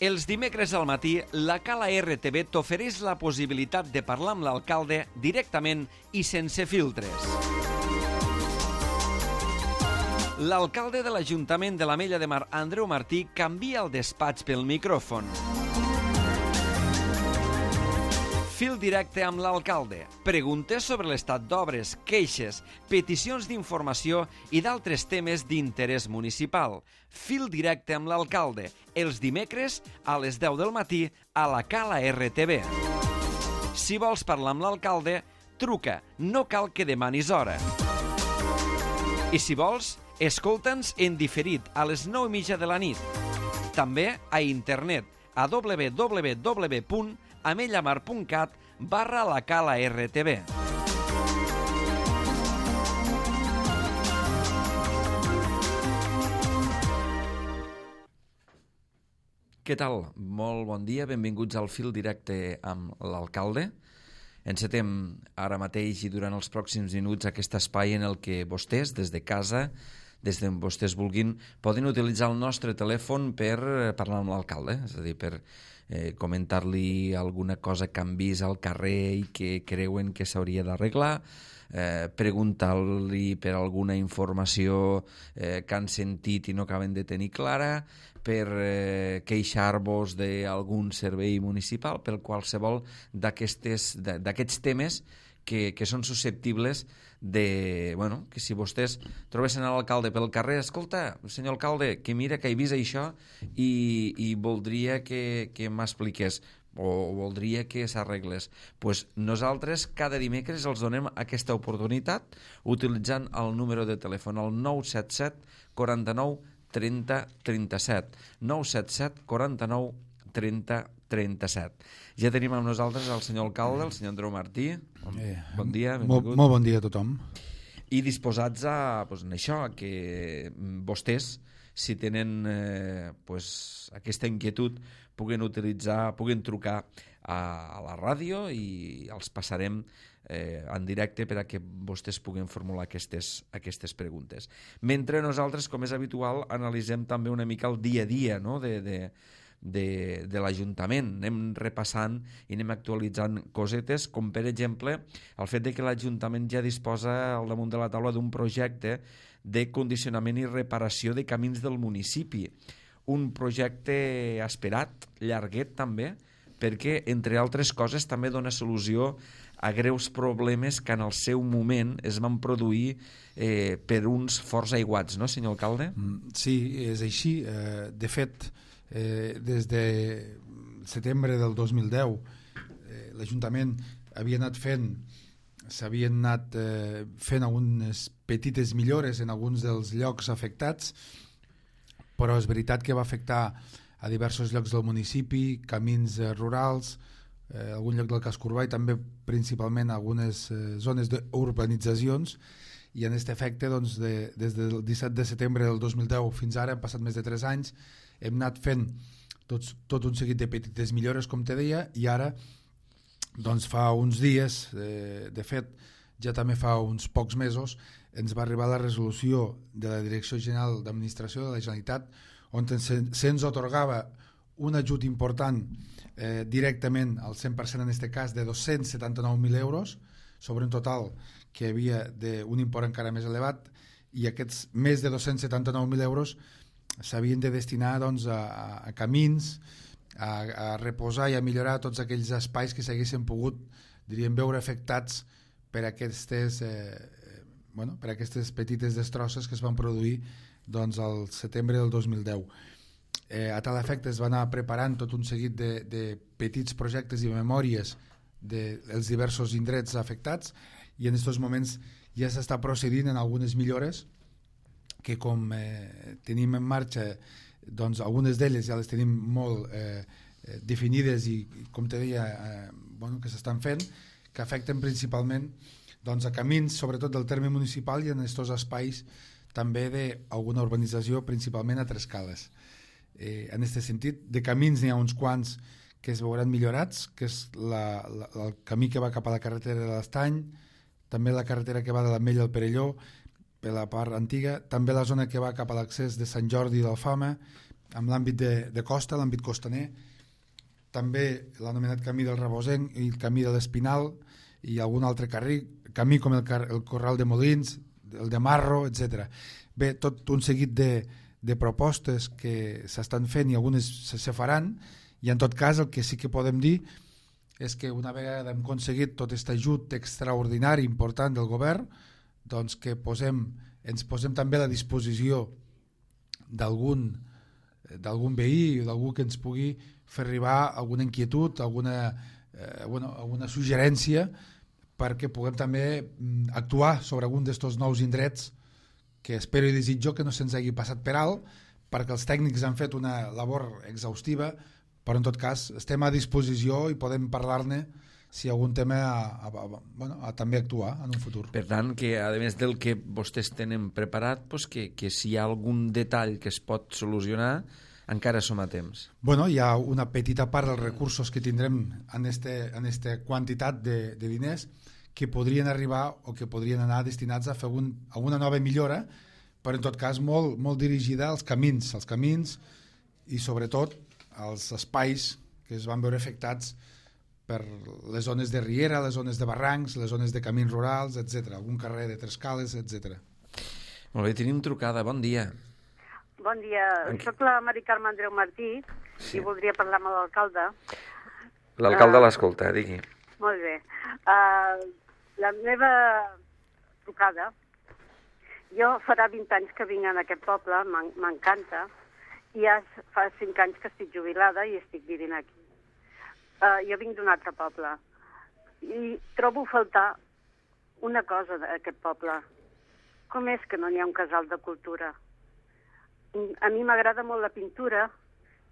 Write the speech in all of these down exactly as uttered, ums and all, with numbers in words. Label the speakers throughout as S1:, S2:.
S1: Els dimecres al matí, la Cala R T V t'ofereix la possibilitat de parlar amb l'alcalde directament i sense filtres. L'alcalde de l'Ajuntament de l'Ametlla de Mar, Andreu Martí, canvia el despatx pel micròfon. Fil directe amb l'alcalde. Preguntes sobre l'estat d'obres, queixes, peticions d'informació i d'altres temes d'interès municipal. Fil directe amb l'alcalde. Els dimecres a les deu del matí a la Cala R T V. Si vols parlar amb l'alcalde, truca. No cal que demanis hora. I si vols, escolta'ns en diferit a les nou i mitja de la nit. També a internet a w w w punt amellamar punt cat barra la Cala R T V. Què tal? Molt bon dia, benvinguts al fil directe amb l'alcalde. Encetem ara mateix i durant els pròxims minuts aquest espai en el que vostès, des de casa, des d'on vostès vulguin, poden utilitzar el nostre telèfon per parlar amb l'alcalde, és a dir, per eh, comentar-li alguna cosa que han vist al carrer i que creuen que s'hauria d'arreglar, eh, preguntar-li per alguna informació eh, que han sentit i no acaben de tenir clara, per eh, queixar-vos d'algun servei municipal, per qualsevol d'aquests temes que, que són susceptibles de, bueno, que si vostès trobessin a l'alcalde pel carrer, escolta, senyor alcalde, que mira que he vist això i, i voldria que, que m'expliqués o voldria que s'arreglés. Pues nosaltres cada dimecres els donem aquesta oportunitat utilitzant el número de telèfon, el nou set set quaranta-nou trenta trenta-set, nou set set quaranta-nou trenta trenta-set. Ja tenim amb nosaltres el senyor alcalde, el senyor Andreu Martí. Bon, eh, bon dia, benvingut.
S2: Molt, molt bon dia a tothom.
S1: I disposats a, pues, en això, que vostès, si tenen eh, pues, aquesta inquietud, puguen utilitzar, puguen trucar a, a la ràdio i els passarem eh, en directe per a que vostès puguen formular aquestes, aquestes preguntes. Mentre nosaltres, com és habitual, analitzem també una mica el dia a dia, no?, de, de, de, de l'Ajuntament. Anem repassant i anem actualitzant cosetes, com per exemple el fet de que l'Ajuntament ja disposa al damunt de la taula d'un projecte de condicionament i reparació de camins del municipi. Un projecte esperat, llarguet també, perquè, entre altres coses, també dona solució a greus problemes que en el seu moment es van produir eh, per uns forts aiguats, no, senyor alcalde?
S2: Sí, és així. Eh, de fet, eh, des de setembre del dos mil deu, eh, l'Ajuntament havia anat fent, s'havien anat eh, fent algunes petites millores en alguns dels llocs afectats, però és veritat que va afectar a diversos llocs del municipi, camins eh, rurals, eh, algun lloc del casc urbà i també principalment algunes eh, zones d'urbanitzacions, i en aquest efecte doncs, de, des del disset de setembre del dos mil deu fins ara, han passat més de tres anys, hem anat fent tots, tot un seguit de petites millores, com te deia, i ara doncs fa uns dies, eh, de fet ja també fa uns pocs mesos, ens va arribar la resolució de la Direcció General d'Administració de la Generalitat on se'ns atorgava un ajut important eh, directament al cent per cent en aquest cas de dos-cents setanta-nou mil euros sobre un total que hi havia d'un import encara més elevat, i aquests més de dos-cents setanta-nou mil euros s'havien de destinar doncs, a, a camins, a, a reposar i a millorar tots aquells espais que s'haguessin pogut, diríem, veure afectats per aquestes, eh, bueno, per aquestes petites destrosses que es van produir doncs, al setembre del dos mil deu. Eh, a tal efecte es va anar preparant tot un seguit de, de petits projectes i memòries dels de diversos indrets afectats, i en aquests moments ja s'està procedint en algunes millores que, com eh, tenim en marxa, doncs algunes d'elles ja les tenim molt eh, definides i, com te deia, eh, bueno, que s'estan fent, que afecten principalment doncs, a camins, sobretot del terme municipal, i en aquests espais també d'alguna urbanització, principalment a Trescales. Eh, en aquest sentit, de camins n'hi ha uns quants que es veuran millorats, que és la, la, el camí que va cap a la carretera de l'Estany, també la carretera que va de l'Ametlla al Perelló, per la part antiga, també la zona que va cap a l'accés de Sant Jordi d'Alfama, amb l'àmbit de, de costa, l'àmbit costaner, també l'anomenat camí del Rebosenc i el camí de l'Espinal i algun altre carrer, camí com el, car el Corral de Molins, el de Marro, etcètera. Bé, tot un seguit de, de propostes que s'estan fent i algunes se, se faran, i en tot cas el que sí que podem dir és que una vegada hem aconseguit tot aquest ajut extraordinari important del govern, doncs que posem, ens posem també a la disposició d'algun d'algun veí o d'algú que ens pugui fer arribar alguna inquietud, alguna, eh, bueno, alguna suggerència perquè puguem també actuar sobre algun d'estos nous indrets que espero i desitjo que no se'ns hagi passat per alt, perquè els tècnics han fet una labor exhaustiva, però en tot cas estem a disposició i podem parlar-ne si hi ha algun tema a, a, a, bueno, a també actuar en un futur.
S1: Per tant, que a més del que vostès tenen preparat, doncs que, que si hi ha algun detall que es pot solucionar, encara som a temps.
S2: Bueno, hi ha una petita part dels recursos que tindrem en este, en esta quantitat de, de diners que podrien arribar o que podrien anar destinats a fer un, alguna nova millora, però en tot cas molt, molt dirigida als camins, als camins i sobretot als espais que es van veure afectats per les zones de riera, les zones de barrancs, les zones de camins rurals, etcètera. Algun carrer de Trescales, etcètera.
S1: Molt bé, tenim trucada. Bon dia.
S3: Bon dia. Aquí. Soc la Mari Carme Andreu Martí sí. I voldria parlar amb l'alcalde.
S1: L'alcalde uh, l'escolta, digui.
S3: Molt bé. Uh, la meva trucada, jo farà vint anys que vinc en aquest poble, m'encanta, i ja fa cinc anys que estic jubilada i estic vivint aquí. Uh, jo vinc d'un altre poble i trobo faltar una cosa d'aquest poble. Com és que no n'hi ha un casal de cultura? A mi m'agrada molt la pintura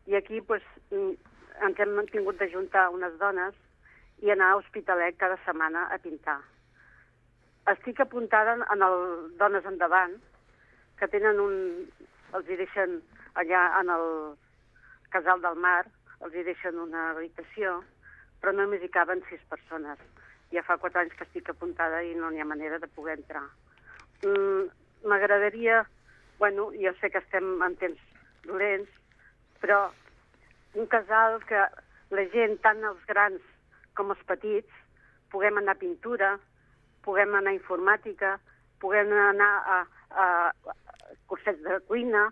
S3: i aquí pues, ens hem tingut d'ajuntar unes dones i anar a Hospitalet cada setmana a pintar. Estic apuntada en el Dones Endavant, que tenen un... els hi deixen allà en el Casal del Mar, els hi deixen una habitació, però només hi caben sis persones. Ja fa quatre anys que estic apuntada i no n'hi ha manera de poder entrar. M'agradaria, mm, bueno, jo sé que estem en temps dolents, però un casal que la gent, tant els grans com els petits, puguem anar a pintura, puguem anar a informàtica, puguem anar a, a, a cursets de cuina,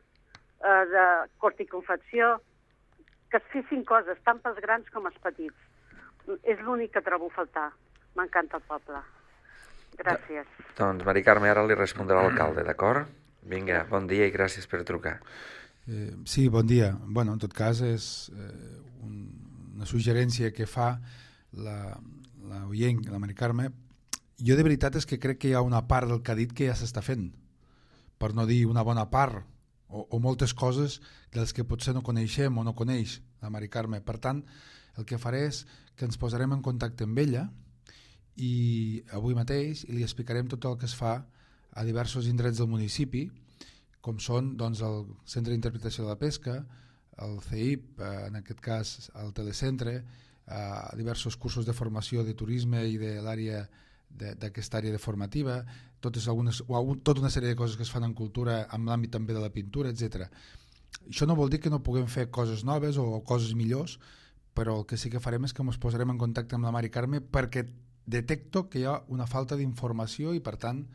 S3: a, de cort i confecció, que es fessin coses tant pels grans com els petits. És l'únic que trobo a faltar. M'encanta el poble. Gràcies.
S1: Doncs, Mari Carme, ara li respondrà l'alcalde, d'acord? Vinga, bon dia i gràcies per trucar.
S2: Eh, sí, bon dia. Bueno, en tot cas, és eh, un, una suggerència que fa la, la oient, la Mari Carme. Jo de veritat és que crec que hi ha una part del que ha dit que ja s'està fent, per no dir una bona part, O, o moltes coses dels que potser no coneixem o no coneix la Mari Carme. Per tant, el que faré és que ens posarem en contacte amb ella i avui mateix i li explicarem tot el que es fa a diversos indrets del municipi, com són doncs, el Centre d'Interpretació de la Pesca, el C I P, en aquest cas el Telecentre, eh, diversos cursos de formació de turisme i de l'àrea d'aquesta àrea de formativa, totes algunes, o tota una sèrie de coses que es fan en cultura en l'àmbit també de la pintura, etcètera. Això no vol dir que no puguem fer coses noves o coses millors, però el que sí que farem és que ens posarem en contacte amb la Mari Carme perquè detecto que hi ha una falta d'informació i per tant,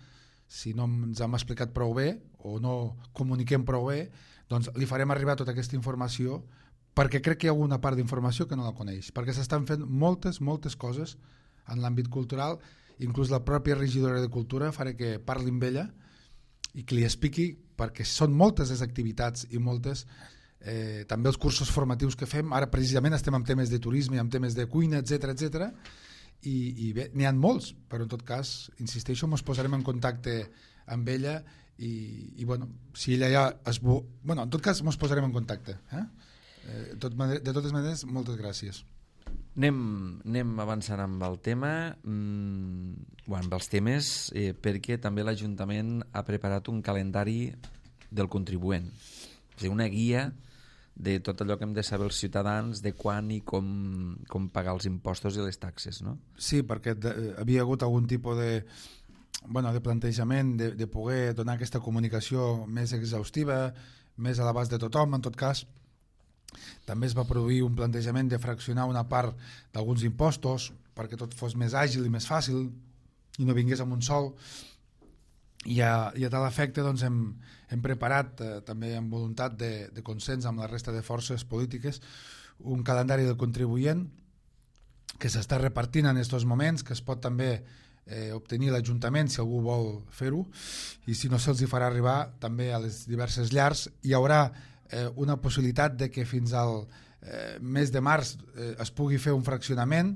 S2: si no ens hem explicat prou bé o no comuniquem prou bé, doncs li farem arribar tota aquesta informació perquè crec que hi ha alguna part d'informació que no la coneix, perquè s'estan fent moltes, moltes coses en l'àmbit cultural. Inclús la pròpia regidora de Cultura faré que parli amb ella i que li expliqui, perquè són moltes les activitats i moltes, eh, també els cursos formatius que fem. Ara precisament estem amb temes de turisme i amb temes de cuina, etcètera, etcètera, i, i bé, n'hi ha molts, però en tot cas, insisteixo, ens posarem en contacte amb ella i, i bueno, si ella ja es... Bueno, en tot cas, ens posarem en contacte. Eh? Eh, tot, de totes maneres, moltes gràcies.
S1: Anem, anem avançant amb el tema, mm, bueno, amb els temes, eh, perquè també l'Ajuntament ha preparat un calendari del contribuent, és a dir, una guia de tot allò que hem de saber els ciutadans, de quan i com, com pagar els impostos i les taxes, no?
S2: Sí, perquè de, havia hagut algun tipus de, bueno, de plantejament de, de poder donar aquesta comunicació més exhaustiva, més a l'abast de tothom. En tot cas, També es va produir un plantejament de fraccionar una part d'alguns impostos perquè tot fos més àgil i més fàcil i no vingués amb un sol. I a, i a tal efecte doncs, hem, hem preparat, eh, també amb voluntat de, de consens amb la resta de forces polítiques, un calendari del contribuent que s'està repartint en aquests moments, que es pot també eh, obtenir l'Ajuntament si algú vol fer-ho, i si no se'ls farà arribar també a les diverses llars. Hi haurà eh, una possibilitat de que fins al eh, mes de març eh, es pugui fer un fraccionament.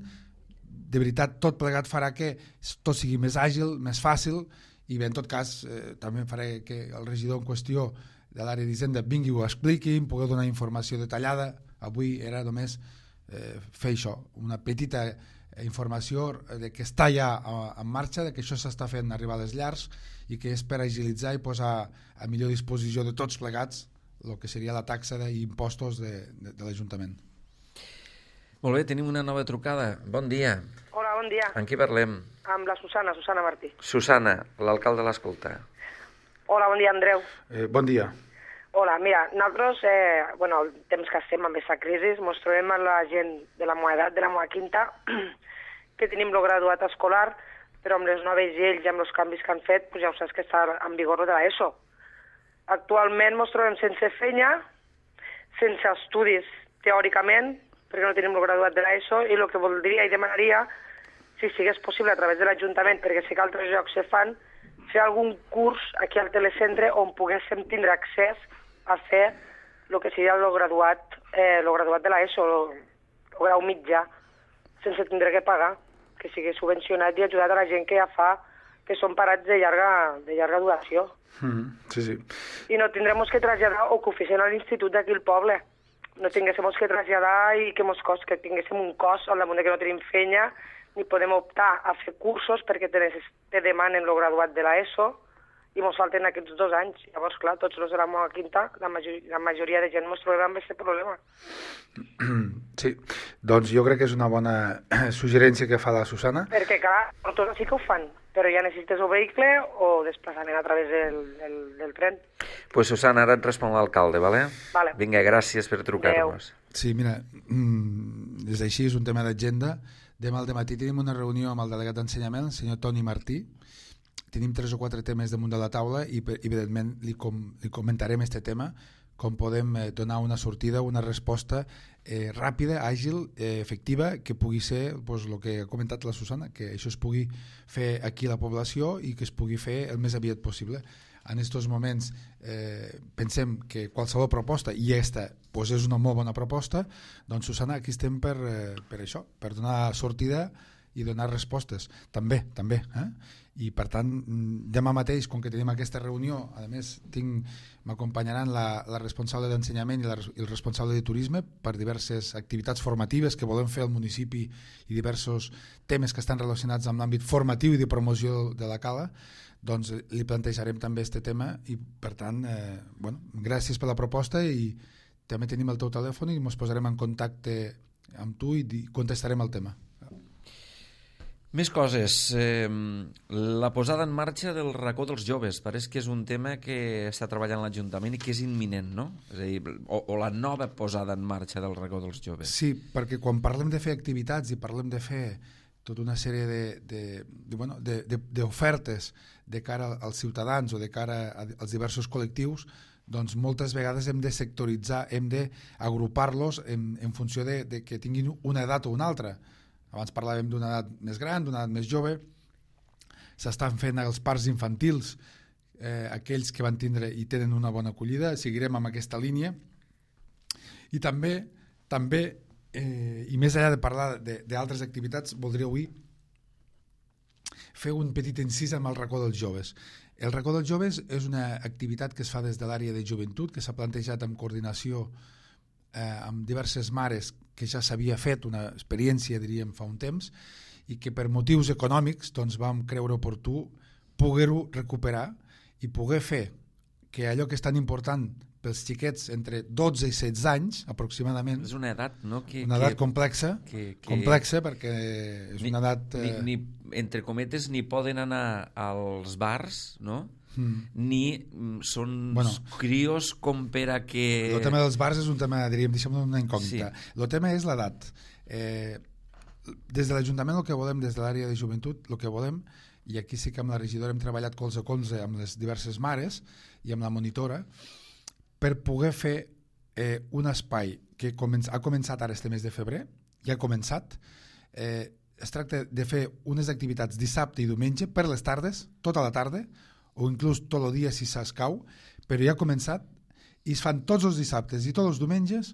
S2: De veritat, tot plegat farà que tot sigui més àgil, més fàcil, i bé, en tot cas, eh, també faré que el regidor en qüestió de l'àrea d'Hisenda vingui i ho expliqui, em pugui donar informació detallada. Avui era només eh, fer això, una petita informació de que està ja en marxa, de que això s'està fent arribar a les llars i que és per agilitzar i posar a millor disposició de tots plegats el que seria la taxa d'impostos de, de, de l'Ajuntament.
S1: Molt bé, tenim una nova trucada. Bon dia.
S4: Hola, bon dia.
S1: Amb qui parlem?
S4: Amb la Susana, Susana Martí.
S1: Susana, l'alcalde l'escolta.
S4: Hola, bon dia, Andreu.
S2: Eh, bon dia.
S4: Hola, mira, nosaltres, eh, bueno, el temps que estem amb aquesta crisi, ens trobem amb la gent de la meva edat, de la meva quinta, que tenim el graduat escolar, però amb les noves lleis i amb els canvis que han fet, pues ja ho saps que està en vigor de l'ESO. Actualment ens trobem sense feina, sense estudis teòricament, perquè no tenim el graduat de l'ESO, i el que voldria i demanaria, si sigués possible a través de l'Ajuntament, perquè sé que altres llocs se fan, fer algun curs aquí al telecentre on poguéssim tindre accés a fer el que seria el graduat, eh, el graduat de l'ESO, el, el grau mitjà, sense tindre que pagar, que sigui subvencionat i ajudat a la gent que ja fa, que són parats de llarga, de llarga duració.
S2: Mm, sí, sí.
S4: I no tindrem que traslladar o que ho fessin a l'institut d'aquí al poble. No tinguéssim que traslladar i que, mos cost, que tinguéssim un cost al damunt de que no tenim feina, ni podem optar a fer cursos perquè te, te demanen el graduat de l'ESO i ens falten aquests dos anys. Llavors, clar, tots els de la meva quinta, la, major, la majoria de gent ens trobem amb aquest problema.
S2: Sí, doncs jo crec que és una bona suggerència que fa la Susana.
S4: Perquè, clar, tots sí que ho fan, però ja necessites un vehicle o desplaçament a través del, del, del tren.
S1: Pues Susana, ara et respon l'alcalde, vale?
S4: Vale.
S1: Vinga, gràcies per trucar-nos.
S2: Sí, mira, mm, des d'així és un tema d'agenda. Demà al dematí tenim una reunió amb el delegat d'ensenyament, el senyor Toni Martí. Tenim tres o quatre temes damunt de la taula i, evidentment, li, com, li comentarem aquest tema, com podem eh, donar una sortida, una resposta eh, ràpida, àgil, eh, efectiva, que pugui ser pues, el que ha comentat la Susana, que això es pugui fer aquí a la població i que es pugui fer el més aviat possible. En aquests moments eh, pensem que qualsevol proposta, i aquesta pues, és una molt bona proposta, doncs Susana, aquí estem per, eh, per això, per donar sortida i donar respostes. També, també. Eh? I per tant, demà mateix, com que tenim aquesta reunió, a més tinc, m'acompanyaran la, la responsable d'ensenyament i, la, i el responsable de turisme per diverses activitats formatives que volem fer al municipi i diversos temes que estan relacionats amb l'àmbit formatiu i de promoció de la Cala. Doncs li plantejarem també aquest tema i per tant, eh, bueno, gràcies per la proposta i també tenim el teu telèfon i ens posarem en contacte amb tu i contestarem el tema.
S1: Més coses. Eh, la posada en marxa del racó dels joves. Pareix que és un tema que està treballant l'Ajuntament i que és imminent, no? És a dir, o, o la nova posada en marxa del racó dels joves.
S2: Sí, perquè quan parlem de fer activitats i parlem de fer tota una sèrie de, de, de, bueno, de, de, d'ofertes de cara als ciutadans o de cara als diversos col·lectius, doncs moltes vegades hem de sectoritzar, hem d'agrupar-los en, en funció de, de que tinguin una edat o una altra. Abans parlàvem d'una edat més gran, d'una edat més jove. S'estan fent els parcs infantils, eh, aquells que van tindre i tenen una bona acollida. Seguirem amb aquesta línia. I també, també eh, i més enllà de parlar d'altres activitats, voldria avui fer un petit incís amb el racó dels joves. El racó dels joves és una activitat que es fa des de l'àrea de joventut, que s'ha plantejat en coordinació eh, amb diverses mares, que ja s'havia fet una experiència, diríem, fa un temps, i que per motius econòmics doncs, vam creure oportú poder-ho recuperar i poder fer que allò que és tan important pels xiquets entre dotze i setze anys, aproximadament.
S1: És una edat, no? Que,
S2: una edat
S1: que,
S2: complexa,
S1: que, que,
S2: complexa perquè és
S1: ni,
S2: una edat...
S1: Eh... Ni, ni, entre cometes, ni poden anar als bars, no? mm. ni són
S2: bueno,
S1: crios com per a que...
S2: El tema dels bars és un tema, diríem, deixem una incògnita.
S1: Sí.
S2: El tema és l'edat. Eh, des de l'Ajuntament el que volem, des de l'àrea de joventut, el que volem, i aquí sí que amb la regidora hem treballat colze a colze amb les diverses mares i amb la monitora, per poder fer eh, un espai que començ, ha començat ara este mes de febrer, ja ha començat, eh, es tracta de fer unes activitats dissabte i diumenge per les tardes, tota la tarda, o inclús tot el dia si s'escau, però ja ha començat i es fan tots els dissabtes i tots els diumenges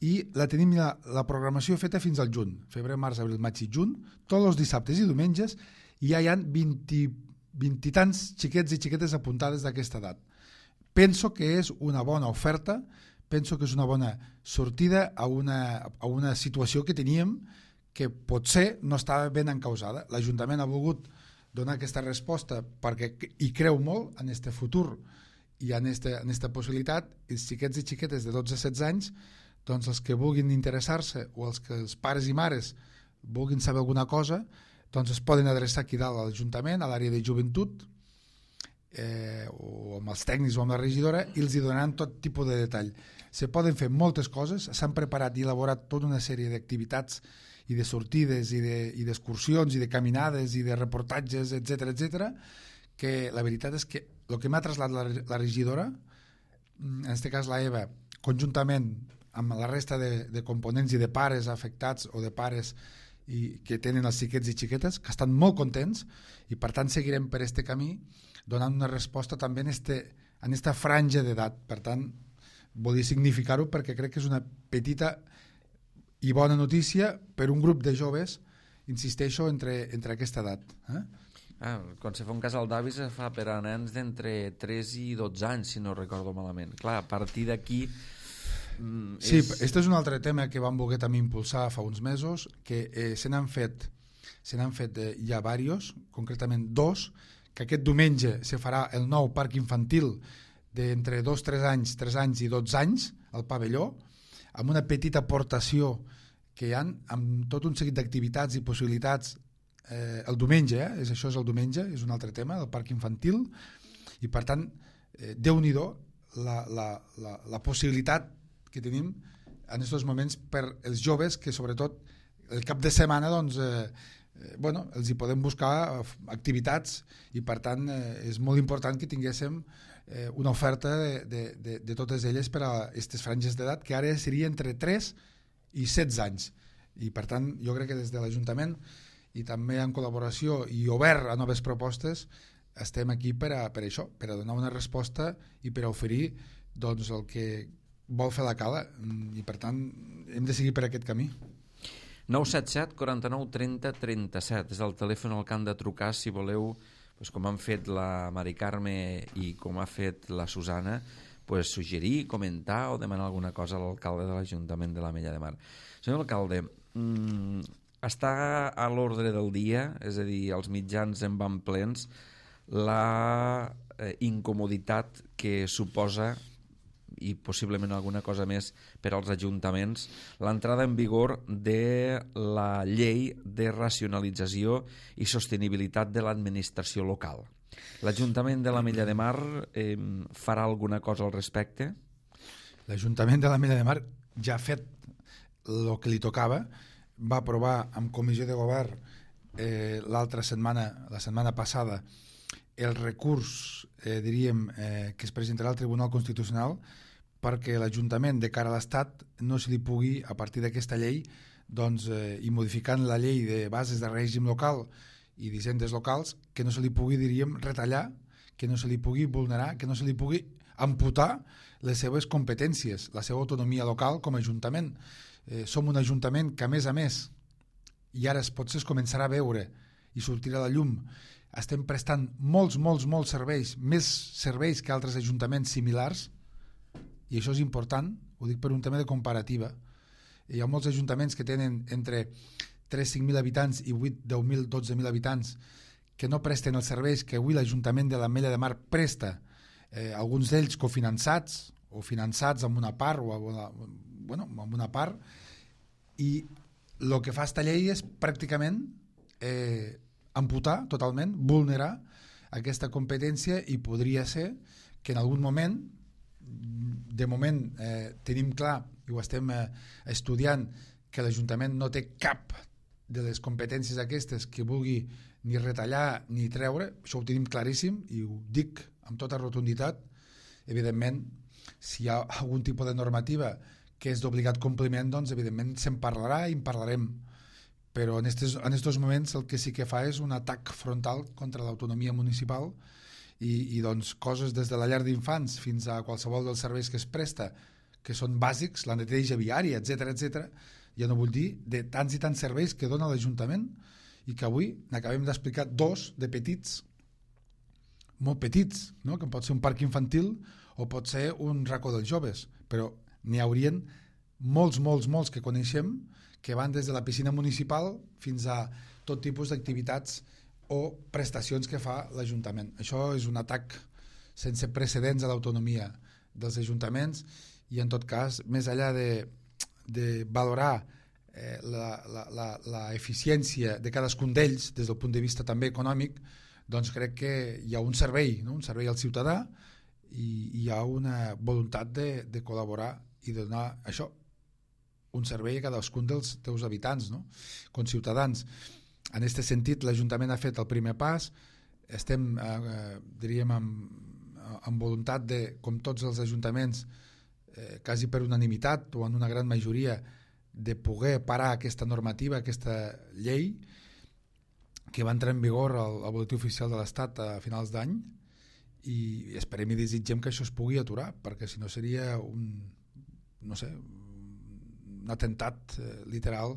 S2: i la tenim la, la programació feta fins al juny, febrer, març, abril, maig i juny, tots els dissabtes i diumenges, i ja hi ha vint, vint i tants xiquets i xiquetes apuntades d'aquesta edat. Penso que és una bona oferta, penso que és una bona sortida a una, a una situació que teníem que potser no estava ben encausada. L'Ajuntament ha volgut donar aquesta resposta perquè hi creu molt en este futur i en esta, en esta possibilitat. Els xiquets i xiquetes de dotze a setze anys, doncs els que vulguin interessar-se o els que els pares i mares vulguin saber alguna cosa, doncs es poden adreçar aquí dalt a l'Ajuntament, a l'àrea de joventut, eh, o amb els tècnics o amb la regidora, i els hi donaran tot tipus de detall. Se poden fer moltes coses, s'han preparat i elaborat tota una sèrie d'activitats i de sortides i d'excursions de, i de caminades i de reportatges, etcètera, etcètera, que la veritat és que el que m'ha traslladat la, la regidora, en aquest cas la Eva, conjuntament amb la resta de, de components i de pares afectats o de pares i, que tenen els xiquets i xiquetes, que estan molt contents i per tant seguirem per este camí donant una resposta també en este, en esta franja d'edat. Per tant, volia significar-ho perquè crec que és una petita i bona notícia per un grup de joves, insisteixo, entre, entre aquesta edat. Eh?
S1: Ah, quan se fa un casal d'avis se fa per a nens d'entre tres i dotze anys, si no recordo malament. Clar, a partir d'aquí... Mm,
S2: sí,
S1: és...
S2: este és un altre tema que vam voler també impulsar fa uns mesos, que eh, se n'han fet, se n'han fet eh, ja diversos, concretament dos, que aquest diumenge se farà el nou parc infantil d'entre dos, tres anys, tres anys i dotze anys, al pavelló, amb una petita aportació que hi ha, amb tot un seguit d'activitats i possibilitats eh, el diumenge, eh? és, això és el diumenge, és un altre tema, el parc infantil, i per tant, eh, Déu-n'hi-do la, la, la, la possibilitat que tenim en aquests moments per els joves que sobretot el cap de setmana doncs, eh, eh, bueno, els hi podem buscar activitats i per tant eh, és molt important que tinguéssim eh, una oferta de, de, de, de totes elles per a aquestes franges d'edat que ara seria entre tres i setze anys i per tant jo crec que des de l'Ajuntament i també en col·laboració i obert a noves propostes estem aquí per a, per a això, per a donar una resposta i per a oferir doncs, el que vol fer la Cala i per tant hem de seguir per aquest camí.
S1: nou set set, quaranta-nou, trenta, trenta-set és el telèfon al que han de trucar si voleu, doncs, com han fet la Mari Carme i com ha fet la Susana, pues, suggerir, comentar o demanar alguna cosa a l'alcalde de l'Ajuntament de l'Ametlla de Mar. Senyor alcalde, mmm, està a l'ordre del dia, és a dir, els mitjans en van plens, la eh, incomoditat que suposa i possiblement alguna cosa més per als ajuntaments, l'entrada en vigor de la llei de racionalització i sostenibilitat de l'administració local. L'Ajuntament de l'Ametlla de Mar eh, farà alguna cosa al respecte?
S2: L'Ajuntament de l'Ametlla de Mar ja ha fet el que li tocava, va aprovar amb comissió de govern eh, l'altra setmana, la setmana passada, el recurs, eh, diríem, eh, que es presentarà al Tribunal Constitucional perquè l'Ajuntament de cara a l'Estat no se li pugui, a partir d'aquesta llei, doncs, eh, i modificant la llei de bases de règim local i d'hisendes locals, que no se li pugui, diríem, retallar, que no se li pugui vulnerar, que no se li pugui amputar les seves competències, la seva autonomia local com a Ajuntament. Eh, som un Ajuntament que, a més a més, i ara es potser es començarà a veure i sortirà a la llum, estem prestant molts, molts, molts serveis, més serveis que altres ajuntaments similars, i això és important, ho dic per un tema de comparativa. Hi ha molts ajuntaments que tenen entre tres a cinc mil habitants i vuit, deu mil, dotze mil habitants que no presten els serveis que avui l'Ajuntament de l'Ametlla de Mar presta, eh, alguns d'ells cofinançats o finançats amb una part o amb una, bueno, amb una part, i el que fa esta llei és pràcticament eh, amputar totalment, vulnerar aquesta competència i podria ser que en algun moment, de moment eh, tenim clar i ho estem eh, estudiant, que l'Ajuntament no té cap de les competències aquestes que vulgui ni retallar ni treure, això ho tenim claríssim i ho dic amb tota rotunditat. Evidentment, si hi ha algun tipus de normativa que és d'obligat compliment, doncs evidentment se'n parlarà i en parlarem, però en estos, en estos moments el que sí que fa és un atac frontal contra l'autonomia municipal i, i doncs coses des de la llar d'infants fins a qualsevol dels serveis que es presta, que són bàsics, la neteja viària, etcètera, etcètera, ja no vull dir de tants i tants serveis que dona l'Ajuntament i que avui n'acabem d'explicar dos de petits, molt petits, no? Que pot ser un parc infantil o pot ser un racó dels joves, però n'hi haurien molts, molts, molts que coneixem que van des de la piscina municipal fins a tot tipus d'activitats o prestacions que fa l'Ajuntament. Això és un atac sense precedents a l'autonomia dels ajuntaments i en tot cas, més enllà de, de valorar eh, la, la, la, la eficiència de cadascun d'ells des del punt de vista també econòmic, doncs crec que hi ha un servei, no? Un servei al ciutadà i hi ha una voluntat de, de col·laborar i de donar això, un servei a cadascun dels teus habitants, no? Com ciutadans. En aquest sentit, l'Ajuntament ha fet el primer pas, estem, eh, diríem, amb, amb voluntat de, com tots els ajuntaments, eh, quasi per unanimitat o en una gran majoria, de poder parar aquesta normativa, aquesta llei, que va entrar en vigor al, al boletí oficial de l'Estat a finals d'any, i esperem i desitgem que això es pugui aturar, perquè si no seria un, no sé, un atemptat eh, literal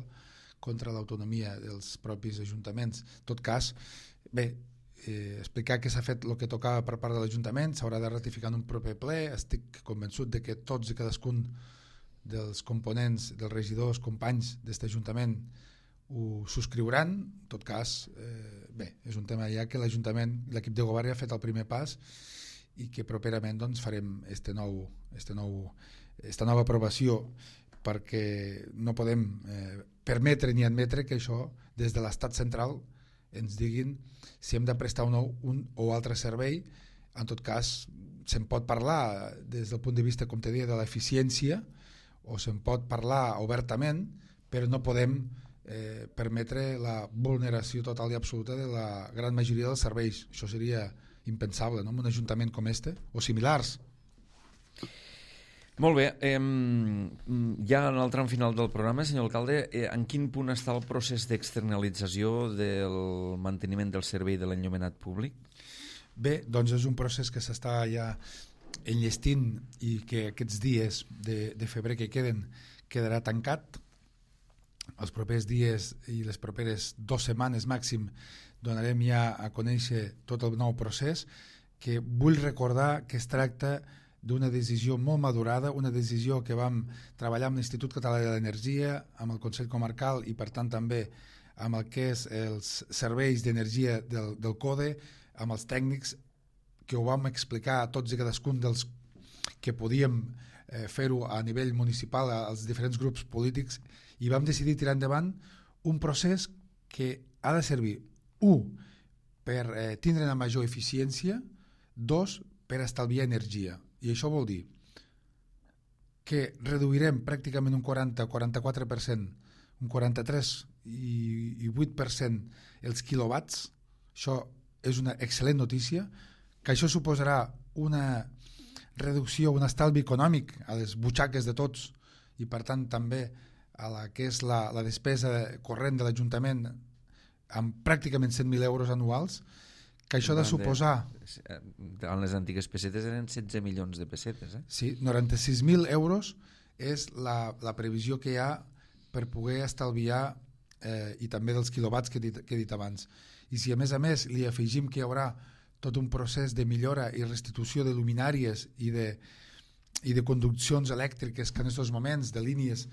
S2: contra l'autonomia dels propis ajuntaments. En tot cas, bé, eh, explicar que s'ha fet el que tocava per part de l'Ajuntament, s'haurà de ratificar en un proper ple, estic convençut de que tots i cadascun dels components, dels regidors, companys d'aquest Ajuntament ho subscriuran. En tot cas, eh, bé, és un tema ja que l'Ajuntament, l'equip de govern ja ha fet el primer pas i que properament doncs, farem este nou, este nou, esta nova aprovació, perquè no podem eh, permetre ni admetre que això des de l'estat central ens diguin si hem de prestar un, un o altre servei. En tot cas, se'n pot parlar des del punt de vista, com te deia, de l'eficiència, o se'n pot parlar obertament, però no podem eh, permetre la vulneració total i absoluta de la gran majoria dels serveis. Això seria impensable, no?, en un ajuntament com este, o similars.
S1: Molt bé, eh, ja en el tram final del programa, senyor alcalde, eh, en quin punt està el procés d'externalització del manteniment del servei de l'enllumenat públic?
S2: Bé, doncs és un procés que s'està ja enllestint i que aquests dies de, de febrer que queden quedarà tancat. Els propers dies i les properes dues setmanes màxim donarem ja a conèixer tot el nou procés, que vull recordar que es tracta d'una decisió molt madurada, una decisió que vam treballar amb l'Institut Català de l'Energia, amb el Consell Comarcal i per tant també amb el que és els serveis d'energia del, del CODE, amb els tècnics, que ho vam explicar a tots i cadascun dels que podíem eh, fer-ho a nivell municipal, als diferents grups polítics, i vam decidir tirar endavant un procés que ha de servir, u, per eh, tindre una major eficiència, dos, per estalviar energia. I això vol dir que reduirem pràcticament un quaranta a quaranta-quatre per cent, un quaranta-tres i vuit per cent els quilowatts. Això és una excel·lent notícia, que això suposarà una reducció, un estalvi econòmic a les butxaques de tots i per tant també a la que és la, la despesa corrent de l'Ajuntament amb pràcticament cent mil euros anuals, que això ha de suposar...
S1: En les antigues pessetes eren setze milions de pessetes. Eh?
S2: Sí, noranta-sis mil euros és la, la previsió que hi ha per poder estalviar eh, i també dels quilowatts que he dit, que he dit abans. I si a més a més li afegim que hi haurà tot un procés de millora i restitució de luminàries i de, i de conduccions elèctriques que en aquests moments, de línies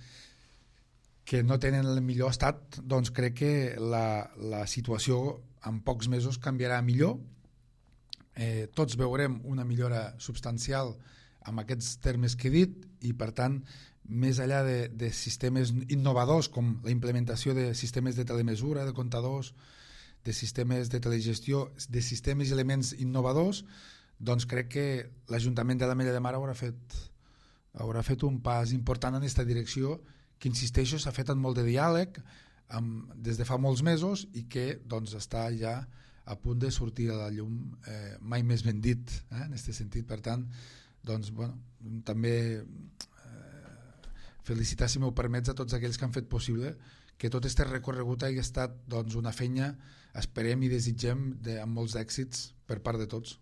S2: que no tenen el millor estat, doncs crec que la, la situació en pocs mesos canviarà millor. Eh, tots veurem una millora substancial amb aquests termes que he dit i per tant, més enllà de, de sistemes innovadors com la implementació de sistemes de telemesura, de comptadors, de sistemes de telegestió, de sistemes i elements innovadors, doncs crec que l'Ajuntament de l'Ametlla de Mar haurà fet, haurà fet un pas important en aquesta direcció, que insisteixo, s'ha fet amb molt de diàleg amb, des de fa molts mesos i que doncs, està ja a punt de sortir a la llum, eh, mai més ben dit, eh, en aquest sentit. Per tant, doncs, bueno, també eh, felicitar, si m'ho permets, a tots aquells que han fet possible que tot aquest recorregut hagi estat doncs, una feina, esperem i desitgem de, amb molts èxits per part de tots.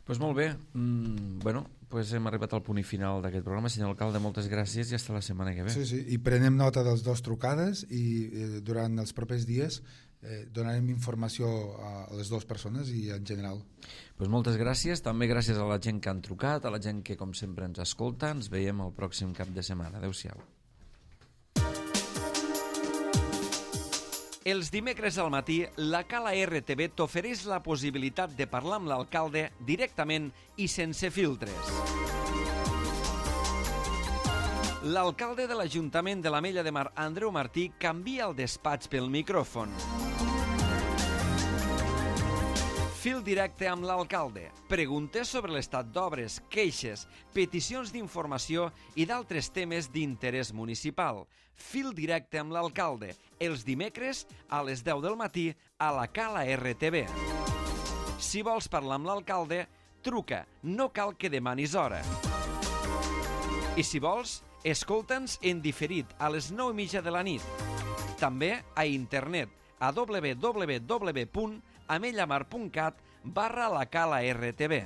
S1: Pues molt bé, mm, bueno, pues hem arribat al punt i final d'aquest programa. Senyor alcalde, moltes gràcies i fins la setmana que ve.
S2: Sí, sí, i prenem nota dels dos trucades i eh, durant els propers dies eh, donarem informació a les dues persones i en general.
S1: Pues moltes gràcies, també gràcies a la gent que han trucat, a la gent que com sempre ens escolta. Ens veiem el pròxim cap de setmana. Adéu-siau. Els dimecres al matí, la Cala R T V t'ofereix la possibilitat de parlar amb l'alcalde directament i sense filtres. L'alcalde de l'Ajuntament de l'Ametlla de Mar, Andreu Martí, canvia el despatx pel micròfon. Fil directe amb l'alcalde. Preguntes sobre l'estat d'obres, queixes, peticions d'informació i d'altres temes d'interès municipal. Fil directe amb l'alcalde. Els dimecres a les deu del matí a la Cala R T V. Si vols parlar amb l'alcalde, truca. No cal que demanis hora. I si vols, escolta'ns en diferit a les nou i mitja de la nit. També a internet a w w w punt amellamar punt cat barra la Cala R T V.